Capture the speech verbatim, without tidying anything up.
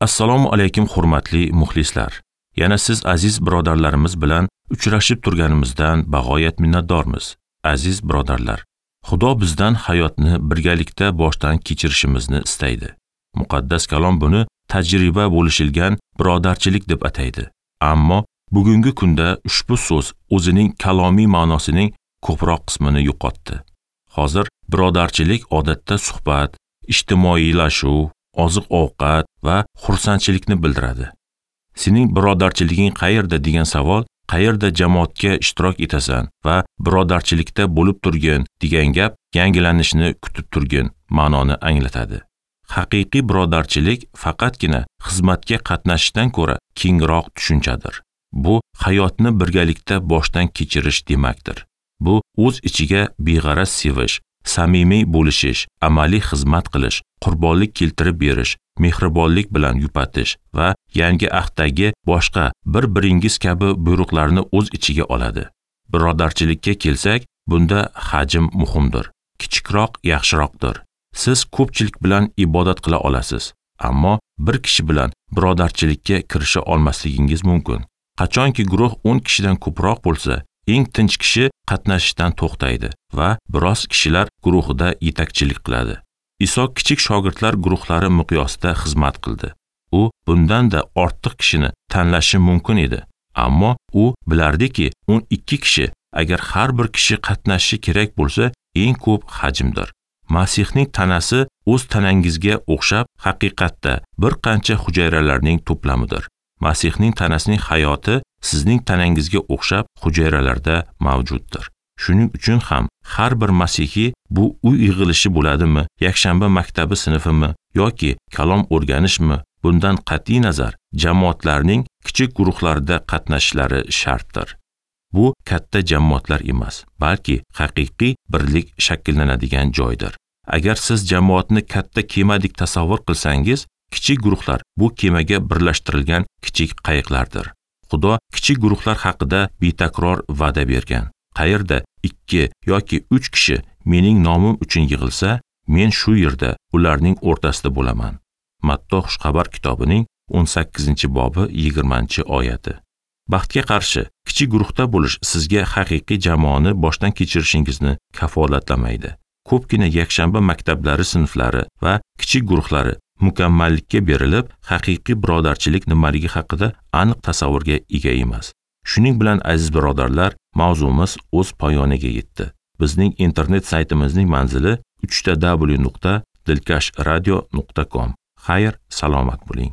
Assalomu alaykum hurmatli muxlislar. Yana siz aziz birodarlarimiz bilan uchrashib turganimizdan bag'oyat minnatdormiz. Aziz birodarlar, Xudo bizdan hayotni birgalikda boshdan kechirishimizni istaydi. Muqaddas kalom buni tajriba bo'lishilgan birodarchilik deb ataydi. Ammo bugungi kunda ushbu so'z o'zining kalomiy ma'nosining ko'proq qismini yo'qotdi. Hozir birodarchilik odatda suhbat, ijtimoiylashuv, oziq-ovqat va xursandchilikni bildiradi. Sening birodarchiliging qayerda degan savol, qayerda jamoatga ishtirok etasan va birodarchilikda bo'lib turgin degan gap yangilanishni kutib turgin ma'noni anglatadi. Haqiqiy birodarchilik faqatgina xizmatga qatnashishdan ko'ra kengroq tushunchadir. Bu hayotni birgalikda boshdan kechirish demakdir. Bu o'z ichiga beg'araz sevish, samimiy bo'lishish, amaliy xizmat qilish, qurbonlik keltirib berish, mehribonlik bilan yupatish va yangi ahddagi boshqa bir-biringiz kabi buyruqlarni o'z ichiga oladi. Birodarchilikka kelsak, bunda hajm muhimdir. Kichikroq yaxshiroqdir. Siz ko'pchilik bilan ibodat qila olasiz, ammo bir kishi bilan birodarchilikka kirisha olmasligingiz mumkin. Qachonki guruh o'n kishidan ko'proq bo'lsa, eng tinch kishi qatnashishdan to'xtaydi va biroz kishilar guruhida yetakchilik qiladi. Iso kichik shogirdlar guruhlari miqyosida xizmat qildi. U bundan-da ortiq kishini tanlashi mumkin edi, ammo u bilardiki, o'n ikki kishi agar har bir kishi qatnashishi kerak bo'lsa, eng ko'p hajmdir. Masihning tanasi o'z tanangizga o'xshab haqiqatda bir qancha hujayralarning to'plamidir. Masihning tanasining hayoti sizning tanangizga o'xshab hujayralarda mavjuddir. Shuning uchun ham har bir masihiy bu uy yig'ilishi bo'ladimi, yakshanba maktabi sinfimi yoki kalom o'rganishmi, bundan qat'iy nazar jamoatlarning kichik guruhlarida qatnashishlari shartdir. Bu katta jamoatlar emas, balki haqiqiy birlik shakllanadigan joydir. Agar siz jamoatni katta kemadek tasavvur qilsangiz, kichik guruhlar bu kemaga birlashtirilgan kichik qayiqlardir. Xudo kichik guruhlar haqida betakror va'da bergan. Qayerda ikki yoki uch kishi mening nomim uchun yig'ilsa, men shu yerda ularning o'rtasida bo'laman. Matto Xushxabar kitobining o'n sakkizinchi bobi yigirmanchi oyati. Baxtga qarshi, kichik guruhda bo'lish sizga haqiqiy jamoani boshdan kechirishingizni kafolatlamaydi. Ko'pgina yakshanba maktablari sinflari va kichik guruhlari mukammallikka berilib, haqiqiy birodarchilik nimaligi haqida aniq tasavvurga ega emas. Shuning bilan aziz birodarlar, mavzumiz o'z poyoniga yetdi. Bizning internet saytimizning manzili uch ta w nuqta dilkash radio nuqta com. Xayr, salomat bo'ling.